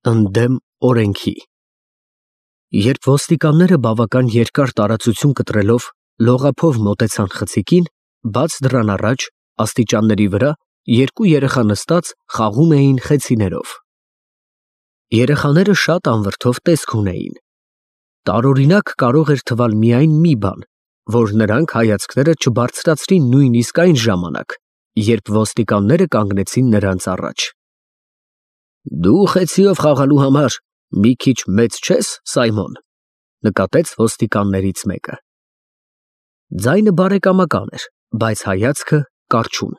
Ընդդեմ օրենքի։ Երբ ոստիկանները բավական երկար տարածություն կտրելով լողափով մոտեցան խցիկին, բաց դռան առաջ, աստիճանների վրա, երկու երեխա նստած խաղում էին խեցիներով։ Երեխաները շատ անվրդով տեսք ունեին։ Տարօրինակ կարող էր թվալ միայն մի բան, որ նրանք հայացքները չբարձրացրին նույնիսկ այն ժամանակ, երբ ոստիկանները կանգնեցին նրանց առաջ։ Դու խեցիով խաղալու համար մի քիչ մեծ չես, Սայմոն, նկատեց ոստիկաններից մեկը։ Ձայնը բարեկամական էր, բայց հայացքը կառչուն։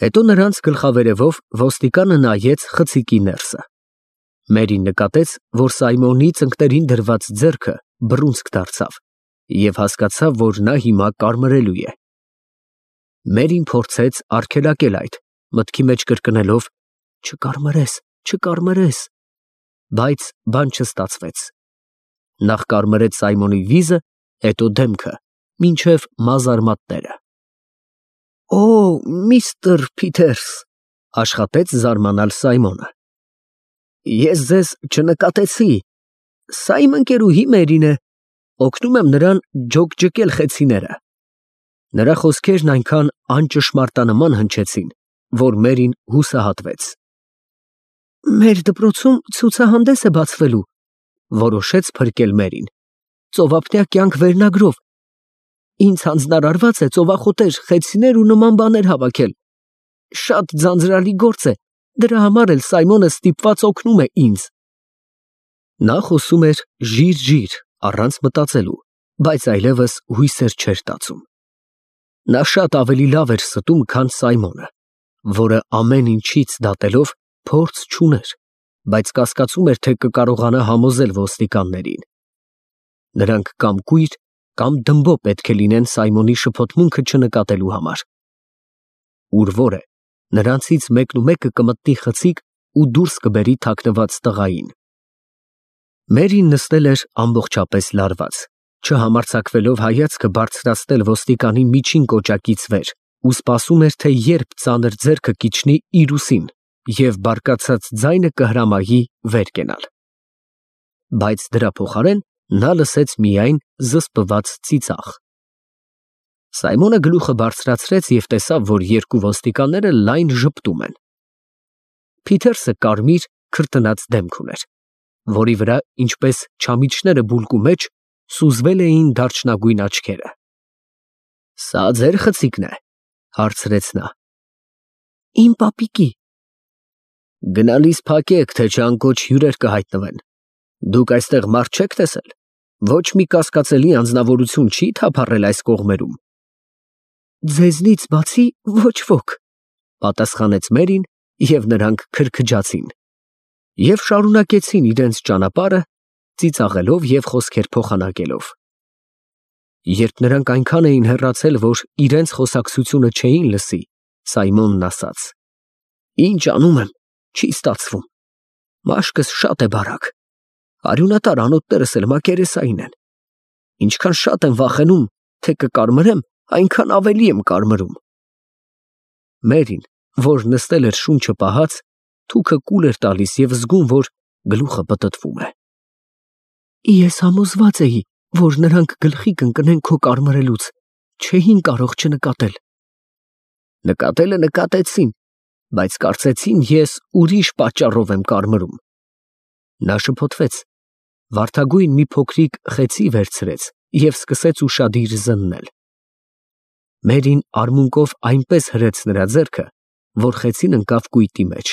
Հետո նրանց գլխավերևով ոստիկանը նայեց խցիկի ներսը։ Մերին նկատեց, որ Սայմոնի ծնկներին դրված ձեռքը բռունցք դարձավ և հասկացավ, որ նա հիմա կարմրելու է։ Մերին փորձեց արգելակել այդ, մտքի մեջ կրկնելով. Չկարմրես, չկարմրես, բայց բան չստացվեց։ Նախ կարմրեց Սայմոնի վիզը, հետո դեմքը, մինչև մազարմատները։ Օ, միստր Փիթերս, աշխատեց զարմանալ Սայմոնը։ Ես ձեզ չնկատեցի, սա իմ ընկերուհի Մերին է, օգնում եմ նրան ջոկջկել խեցիները։ Նրա խոսքերն այնքան անճշմարտանման հնչեցին, որ Մերին հուսահատվեց։ Մեր դպրոցում ցուցահանդես է բացվելու, որոշեց փրկել Մերին, ծովափնյա կյանք վերնագրով։ Ինձ հանձնարարված է ծովախոտեր, խեցիներ ու նման բաներ հավաքել։ Շատ ձանձրալի գործ է, դրա համար էլ Սայմոնը ստիպված օգնում է ինձ։ Նա խոսում էր ժիր, առանց մտածելու, բայց այլևս հույսեր չէր տածում։ Նա շատ ավելի լավ էր ստում, քան Սայմոնը, որը ամեն ինչից դատելով փորձ չուներ, բայց կասկածում էր, թե կկարողանա համոզել ոստիկաններին։ Նրանք կամ կույր, կամ դմբո պետք է լինեն Սայմոնի շփոթմունքը չնկատելու համար։ Ուր որ է, նրանցից մեկը կմտնի խցիկ ու դուրս կբերի թաքնված տղային։ Մերին նստել էր ամբողջապես լարված, չհամարձակվելով հայացքը բարձրացնել ոստիկանի միջին կոճակից վեր ու սպասում էր, թե երբ ծանր ձեռքը կիջնի իր ուսին և բարկացած ձայնը կհրամայի վեր կենալ։ Բայց դրա փոխարեն նա լսեց միայն զսպված ծիծաղ։ Սայմոնը գլուխը բարձրացրեց և տեսավ, որ երկու ոստիկանները լայն ժպտում են։ Փիթերսը կարմիր, քրտնած դեմք ուներ, որի վրա, ինչպես չամիչները բուլկու մեջ, սուզվել էին դարչնագույն աչքերը։ Սա ձեր խցիկն է, հարցրեց նա։ Իմ պապիկի։ Գնալիս փակեք, թե չանկոչ հյուրեր կհայտնվեն։ Դուք այստեղ մարդ չեք տեսել։ Ոչ մի կասկածելի անձնավորություն չի թափառել այս կողմերում։ Ձեզնից բացի ոչ ոք, պատասխանեց Մերին, և նրանք քրքջացին և շարունակեցին իրենց ճանապարհը, ծիծաղելով և խոսքեր փոխանակելով։ Երբ նրանք այնքան էին հեռացել, որ իրենց խոսակցությունը չէին լսի, Սայմոնն ասաց. Ինչ անում եմ, չի ստացվում։ Մաշկս շատ է բարակ։ Արյունատար անոթներս էլ մակերեսային են։ Ինչքան շատ եմ վախենում, թե կկարմրեմ, այնքան ավելի եմ կարմրում։ Մերին, որ նստել էր շունչը պահած, թուքը կուլ էր տալիս և զգում, որ գլուխը պտտվում է։ Ես համոզված էի, որ նրանք գլխի կընկնեն քո կարմրելուց, չէին կարող չնկատել։ Նկատելը նկատեցին, բայց կարծեցին ես ուրիշ պատճառով եմ կարմրում։ Նա շփոթվեց, վարդագույն մի փոքրիկ խեցի վերցրեց և սկսեց ուշադիր զննել։ Մերին արմունկով այնպես հրեց նրա ձեռքը, որ խեցին ընկավ կույտի մեջ։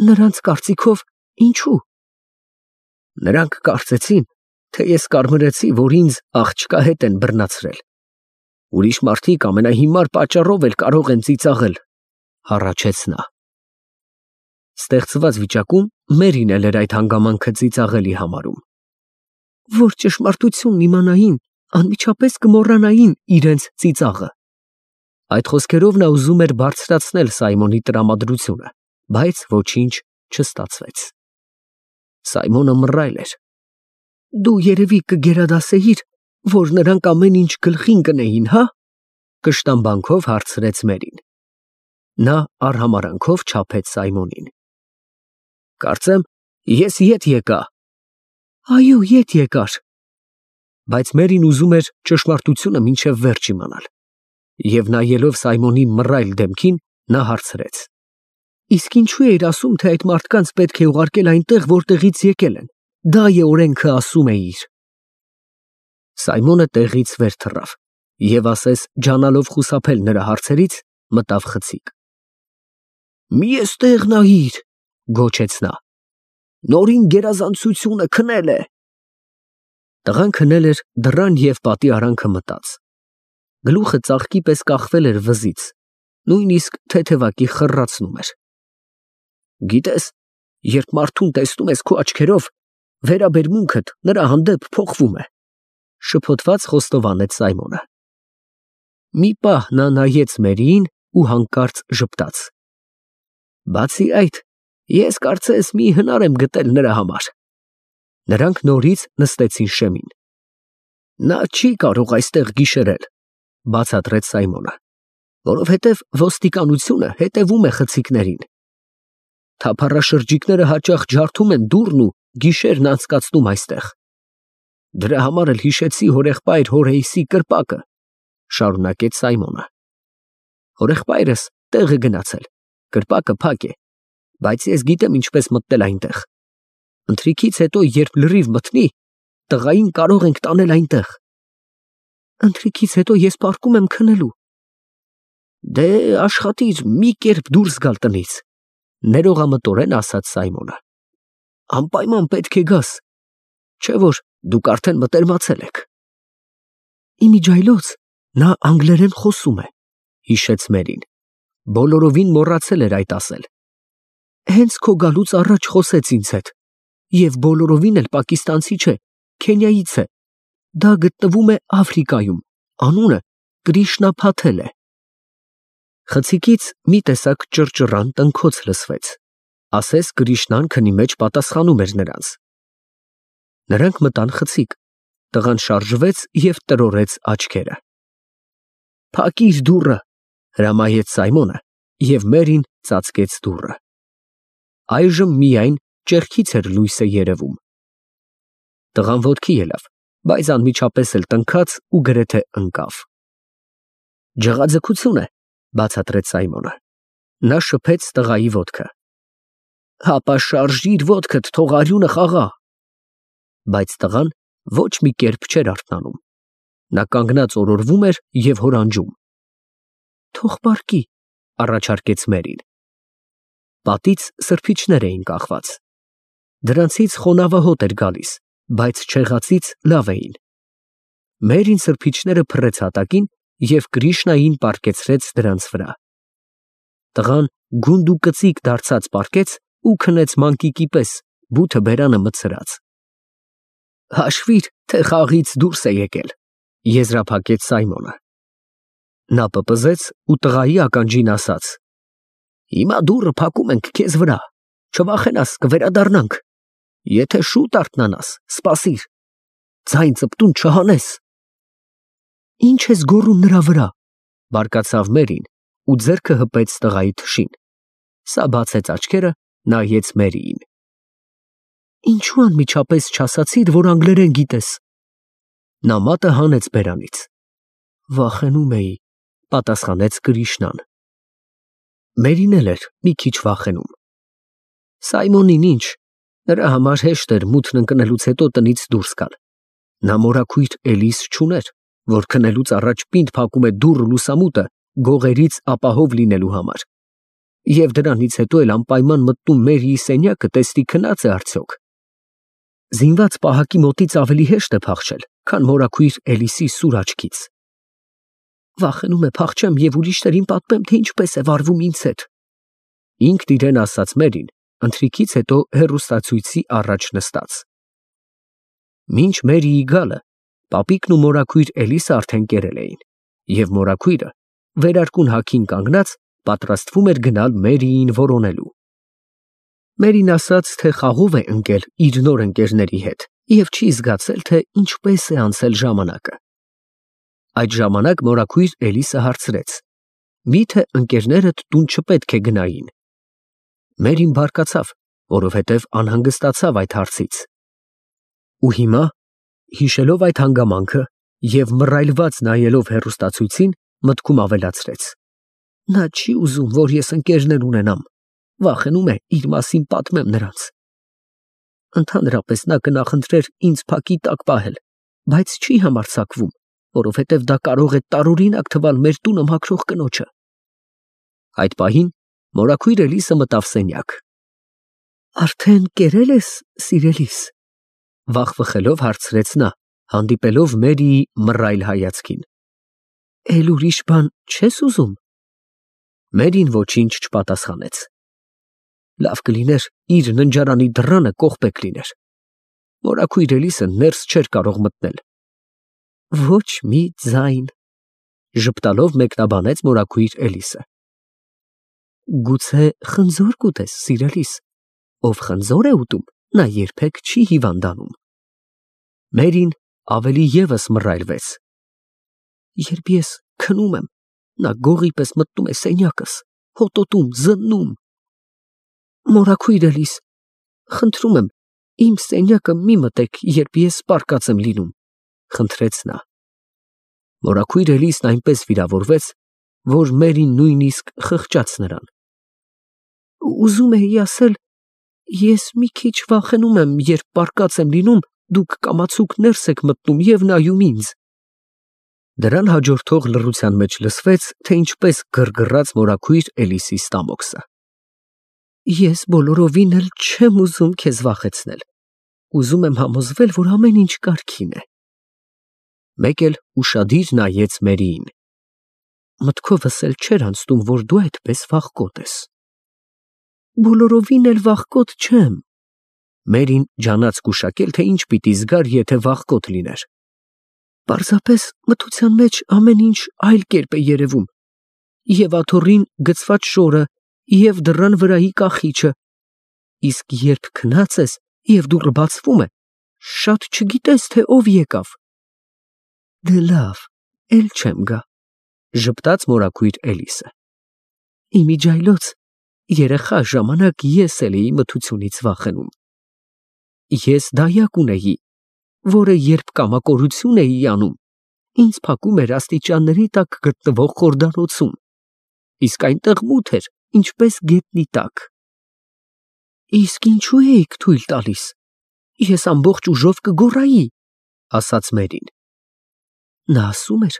Նրանց կարծիքով ինչու։ Նրանք կարծեցին, թե ես կարմրեցի, որ ինձ աղջկա հետ են բռնացրել։ Ուրիշ մարդիկ ամենահիմար պատճառով էլ կարող են ծիծաղել, հառաչեց նա։ Ստեղծված վիճակում Մերին էլ էր այդ հանգամանքը ծիծաղելի համարում։ Որ ճշմարտությունն իմանային, անմիջապես կմոռանային իրենց ծիծաղը։ Այդ խոսքերով նա ուզում էր բարձրացնել Սայմոնի տրամադրությունը, բայց ոչինչ չստացվեց։ Սայմոնը մռայլ էր։ Դու երևի կգերադասեիր, որ նրանք ամեն ինչ գլխին կնեին, հա՞, կշտամբանքով հարցրեց Մերին։ Նա արհամարհանքով չափեց Սայմոնին։ Կարծեմ, ես ետ եկա։ Այո, ետ եկար։ Բայց Մերին ուզում էր ճշմարտությունը մինչև վերջ իմանալ։ Եվ նայելով Սայմոնի մռայլ դեմքին, նա հարցրեց. Իսկ ինչու էիր ասում, թե այդ մարդկանց պետք է ուղարկել այնտեղ, որտեղից եկել են։ Դա է օրենքը, ասում էիր։ Սայմոնը տեղից վեր թռավ և ասես ջանալով խուսափել նրա հարցերից, մտավ խցիկ։ Մի էստեղ նայիր, գոչեց նա։ Նորին գերազանցությունը քնել է։ Տղան քնել էր, դռան և պատի արանքը մտած։ Գլուխը ծաղկի պես կախվել էր վզից, նույնիսկ թեթևակի խռացնում էր։ Գիտես, երբ մարդուն տեսնում ես քո աչքերով, վերաբերմունքդ նրա հանդեպ փոխվում է, շփոթված խոստովանեց Սայմոնը։ Մի պահ նա նայեց Մերիին ու հանկարծ ժպտաց։ Բացի այդ, ես կարծես մի հնար եմ գտել նրա համար։ Նրանք նորից նստեցին շեմին։ Նա չի կարող այստեղ գիշերել, բացատրեց Սայմոնը, որովհետև ոստիկանությունը հետևում է խցիկներին։ Թափառաշրջիկները հաճախ ջարդում են դուռն ու գիշերն անցկացնում այստեղ։ Դրա համար էլ հիշեցի հորեղբայր Հորեյսի կրպակը, շարունակեց Սայմոնը։ Հորեղբայրս տեղ է գնացել, կրպակը փակ է, բայց ես գիտեմ ինչպես մտնել այնտեղ։ Ընթրիքից հետո, երբ լրիվ մթնի, տղային կարող ենք տանել այնտեղ։ Ընթրիքից հետո ես պառկում եմ քնելու։ Դե աշխատիր մի կերպ դուրս գալ տնից, ներողամտորեն ասաց Սայմոնը։ Անպայման պետք է գաս, չէ որ դուք արդեն մտերմացել եք։ Իմիջայլոց նա անգլերեն խոսում է, հիշեց Մերին։ Բոլորովին մոռացել էր այդ ասել։ Հենց քո գալուց առաջ խոսեց ինձ հետ, և բոլորովին էլ պակիստանցի չէ, Քենիայից է։ Դա գտնվում է Աֆրիկայում, անունը Կրիշնա Փաթել է։ Խցիկից մի տեսակ ճռճռան տնքոց լսվեց, ասես Կրիշնան քնի մեջ պատասխանում էր նրանց։ Նրանք մտան խցիկ, տղան շարժվեց և տրորեց աչքերը։ Փակիր դուռը, հրամայեց Սայմոնը, և Մերին ծածկեց դուռը։ Այժմ միայն ճեղքից էր լույսը երևում։ Տղան ոտքի ելավ, բայց անմիջապես էլ տնքաց ու գրեթե ընկավ։ Ջղաձգություն է, բացատրեց Սայմոնը։ Նա շփեց տղայի ոտքը։ Հապա շարժիր ոտքդ, թող արյունը խաղա։ Բայց տղան ոչ մի կերպ չէր արթնանում։ Նա կանգնած օրորվում էր և հորանջում։ Թող պառկի, առաջարկեց Մերին։ Պատից սրբիչներ էին կախված։ Դրանցից խոնավը հոտ էր գալիս, բայց չեղածից լավ էին։ Մերին սրբիչները փռեց հատակին և Կրիշնային պառկեցրեց դրանց վրա։ Տղան գունդ ու կծիկ դարձած պառկեց ու քնեց մանկիկի պես, բութը բերանը մտցրած։ Հաշվիր, թե խաղից դուրս է եկել, եզրափակեց Սայմոնը։ Նա պպզեց ու տղայի ականջին ասաց. Հիմա դուռը փակում ենք քեզ վրա, չվախենաս, կվերադառնանք։ Եթե շուտ արթնանաս, սպասիր, ձայն ծպտուն չհանես։ Ինչ ես գոռում նրա վրա, բարկացավ Մերին ու ձեռքը հպեց տղայի թշին։ Սա բացեց աչքերը, նայեց Մերիին։ Ինչու անմիջապես չասացիր, որ անգլերեն գիտես։ Նա մատը հանեց բերանից։ Վախենում էի, պատասխանեց Կրիշնան։ Մերին էլ էր մի քիչ վախենում։ Սայմոնին ինչ, նրա համար հեշտ էր մութն ընկնելուց հետո տնից դուրս գալ։ Նա մորաքույր Էլիս չուներ, որ քնելուց առաջ պինդ փակում է դուռը լուսամուտը գողերից ապահով լինելու համար։ Եվ դրանից հետո էլ անպայման մտնում Մերիի սենյակը տեսնի քնած է արդյոք։ Զինված պահակի մոտից ավելի հեշտ է փախչել, քան մորաքույր Էլիսի սուր աչքից։ Վախենում է փախչեմ և ուրիշներին պատմեմ, թե ինչպես է վարվում ինձ հետ։ Ինքն իրեն ասաց Մերին, ընթրիքից հետո հեռուստացույցի առաջ նստած։ Մինչ Մերիի գալը, պապիկն ու մորաքույր Էլիսը արդեն կերել էին, և մորաքույրը, վերարկուն հագին կանգնած, պատրաստվում էր գնալ Մերիին որոնելու։ Մերին ասաց, թե խաղով է ընկել իր նոր ընկերների հետ և չի զգացել, թե ինչպես է անցել ժամանակը։ Այդ ժամանակ մորաքույր Էլիսը հարցրեց. Միթե ընկերներդ տուն չպետք է գնային։ Մերին բարկացավ, որովհետև անհանգստացավ այդ հարցից։ Ու հիմա, հիշելով այդ հանգամանքը և մռայլված նայելով հեռուստացույցին, մտքում ավելացրեց. նա չի ուզում, որ ես ընկերներ ունենամ, վախենում է իր մասին պատմեմ նրանց։ Ընդհանրապես նա կնախընտրեր ինձ փակի տակ պահել, բայց չի համարձակվում, որովհետև դա կարող է տարօրինակ թվալ մեր տունը մաքրող կնոջը։ Այդ պահին մորաքույր Էլիսը մտավ սենյակ։ Արդեն կերել ես, սիրելիս, վախվխելով հարցրեց նա, հանդիպելով Մերիի մռայլ հայացքին։ Էլ ուրիշ բան չես ուզում։ Մերին ոչինչ չպատասխանեց։ Լավ կլիներ իր ննջարանի դռանը կողպեկ լիներ։ Մորաքույր Էլիսը ներս չէր կարող մտնել։ Ոչ մի ձայն, ժպտալով մեկնաբանեց մորաքույր Էլիսը։ Գուցե խնձոր կուտես, սիրելիս, ով խնձոր է ուտում, նա երբեք չի հիվանդանում։ Մերին ավելի ևս մռայլվեց։ Երբ ես քնում եմ, նա գողի պես մտնում է սենյակս, հոտոտում, զննում։ Մորաքույր Էլիս, խնդրում եմ, իմ սենյակը մի մտեք, երբ ես պառկած եմ լինում, խնդրեց նա։ Մորաքույր Էլիսն այնպես վիրավորվեց, որ Մերին նույնիսկ խղճաց նրան։ Ուզում էի ասել, ես մի քիչ վախենում եմ, երբ պառկած եմ լինում, դուք կամացուկ ներս եք մտնում և նայում ինձ։ Դրան հաջորդող լռության մեջ լսվեց, թե ինչպես գրգռաց մորաքույր Էլիսի ստամոքսը։ Ես բոլորովին էլ չեմ ուզում քեզ վախեցնել։ Ուզում եմ համոզվել, որ ամեն ինչ կարգին է։ Մեկ էլ ուշադիր նայեց Մերիին։ Մտքովս էլ չէր անցնում, որ դու այդպես վախկոտ ես։ Բոլորովին էլ վախկոտ չեմ։ Մերին ջանաց գուշակել, թե ինչ պիտի զգար, եթե վախկոտ լիներ։ Պարզապես մթության մեջ ամեն ինչ այլ կերպ է երևում։ Եվ աթոռին գցված շորը, և դռան վրայի կախիչը։ Իսկ երբ քնած ես, և դուռը բացվում է, շատ չգիտես, թե ով եկավ։ Դե լավ, էլ չեմ գա, ժպտաց մորաքույր Էլիսը։ Իմիջիայլոց, երեխա ժամանակ ես էլ էի մթությունից վախենում։ Ես դայակ ունեի, որը երբ կամակորություն էի անում, ինձ փակում էր աստիճանների տակ գտնվող խորդանոցում, իսկ այնտեղ մութ էր, ինչպես գետնի տակ։ Իսկ ինչու էիք թույլ տալիս։ Ես ամբողջ ուժով կգոռայի, ասաց Մերին։ Նա ասում էր,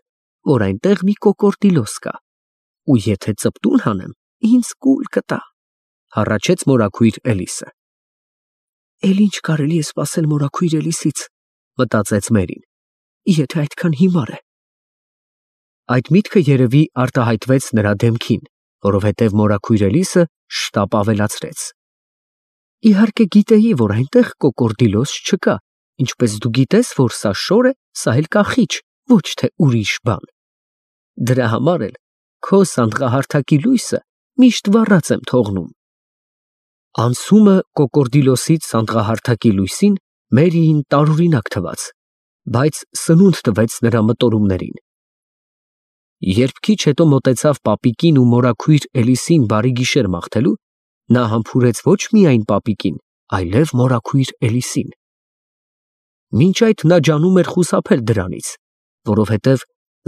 որ այնտեղ մի կոկորդիլոս կա, ու եթե ծպտուն հանեմ, ինձ կուլ կտա, հառաչեց մորաքույր Էլիսը։ Էլ ինչ կարելի է սպասել մորաքույր Էլիսից, մտածեց Մերին, եթե այդքան հիմար է։ Այդ միտքը երևի արտահայտվեց նրա դեմքին, որովհետև մորաքույր Էլիսը շտապ ավելացրեց. Իհարկե գիտեի, որ այնտեղ կոկորդիլոս չկա, ինչպես դու գիտես, որ սա շոր է, սա էլ կախիչ, ոչ թե ուրիշ բան։ Դրա համար էլ քո սանդղահարթակի լույսը միշտ վառած եմ թողնում։ Անցումը կոկորդիլոսից սանդղահարթակի լույսին Մերիին տարօրինակ թվաց, բայց սնունդ տվեց նրա մտորումներին։ Երբ քիչ հետո մոտեցավ պապիկին ու մորաքույր Էլիսին բարի գիշեր մաղթելու, նա համբուրեց ոչ միայն պապիկին, այլև մորաքույր Էլիսին։ Մինչ այդ նա ջանում էր խուսափել դրանից, որովհետև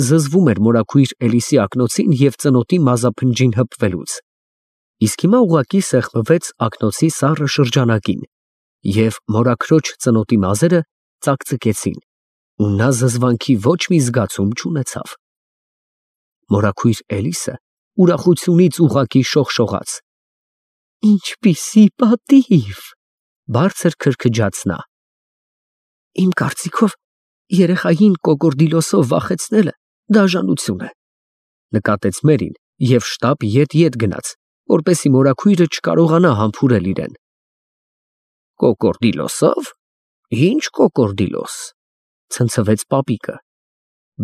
զզվում էր մորաքույր Էլիսի ակնոցին և ծնոտի մազափնջին հպվելուց։ Իսկ հիմա ուղղակի սեղմվեց ակնոցի սառը շրջանակին, և մորաքրոջ ծնոտի մազերը ծակծկեցին, ու նա զզվանքի ոչ մի զգացում չունեցավ։ Մորաքույր Էլիսը ուրախությունից ուղղակի շողշողաց։ Ինչպիսի պատիվ, բարձր քրքջաց նա։ Իմ կարծիքով, երեխային կոկորդիլոսով վախեցնելը դաժանություն է, նկատեց Մերին և շտապ ետ գնաց, որպեսզի մորաքույրը չկարողանա համբուրել իրեն։ Կոկորդիլոսով։ Ինչ կոկորդիլոս, ցնցվեց պապիկը,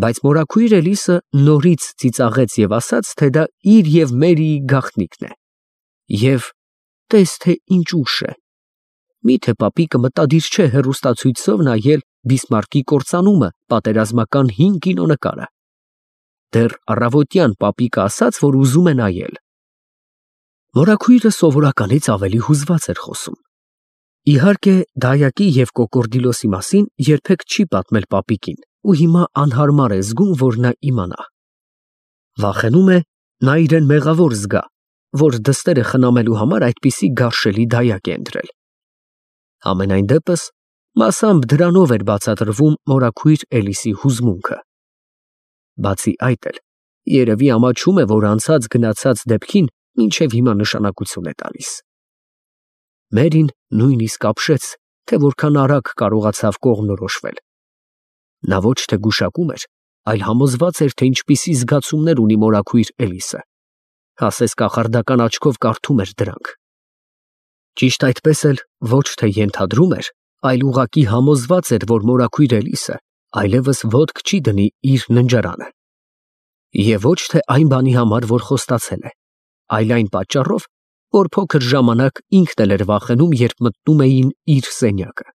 բայց մորաքույր Էլիսը նորից ծիծաղեց և ասաց, թե դա իր և Մերիի գաղտնիքն է։ Եվ տես թե ինչ ուշ է։ Միթե պապիկը մտադիր չէ հեռուստացույցով նայել Բիսմարկի կործանումը պատերազմական հին կինոնկարը։ Դեռ առավոտյան պապիկը ասաց, որ ուզում է նայել։ Մորաքույրը սովորականից ավելի հուզված էր խոսում։ Իհարկե, Դայակի և Կոկորդիլոսի մասին երբեք չի պատմել պապիկին ու հիմա անհարմար է զգում, որ նա իմանա։ Վախենում է, նա իրեն մեղավոր զգա, որ դստերը խնամելու համար այդպիսի գարշելի դայակ է ընտրել։ Համենայն դեպս, մասամբ դրանով էր բացատրվում մորաքույր Էլիսի հուզմունքը։ Բացի այդ էլ, երևի ամաչում է, որ անցած գնացած դեպքին մինչև հիմա նշանակություն է տալիս։ Մերին նույնիսկ ապշեց, թե որքան արագ կարողացավ կողմնորոշվել։ Նա ոչ թե գուշակում էր, այլ համոզված էր, թե ինչպիսի զգացումներ ունի մորաքույր Էլիսը, ասես կախարդական աչքով կարդում էր դրանք։ Ճիշտ այդպես էլ ոչ թե ենթադրում էր, այլ ուղղակի համոզված էր, որ մորաքույր Էլիսը այլևս ոտք չի դնի իր ննջարանը։ Եվ ոչ թե այն բանի համար, որ խոստացել է, այլ այն պատճառով, որ փոքր ժամանակ ինքն էլ էր վախենում, երբ մտնում էին իր սենյակը։